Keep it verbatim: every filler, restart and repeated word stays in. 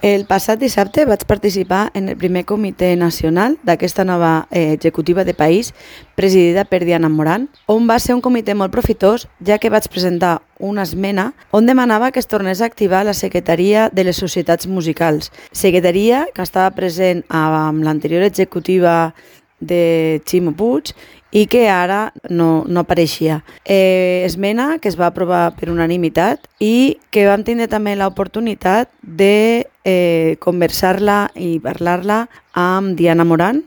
El passat dissabte vaig participar en el primer comitè nacional d'aquesta nova eh, executiva de país, presidida per Diana Morant, on va ser un comitè molt profitós, ja que vaig presentar una esmena on demanava que es tornés a activar la Secretaria de les Societats Musicals. Secretaria que estava present amb l'anterior executiva de Ximo Puig i que ara no, no apareixia. Eh, esmena que es va aprovar per unanimitat i que vam tindre també l'oportunitat de eh, conversar-la i parlar-la amb Diana Morant,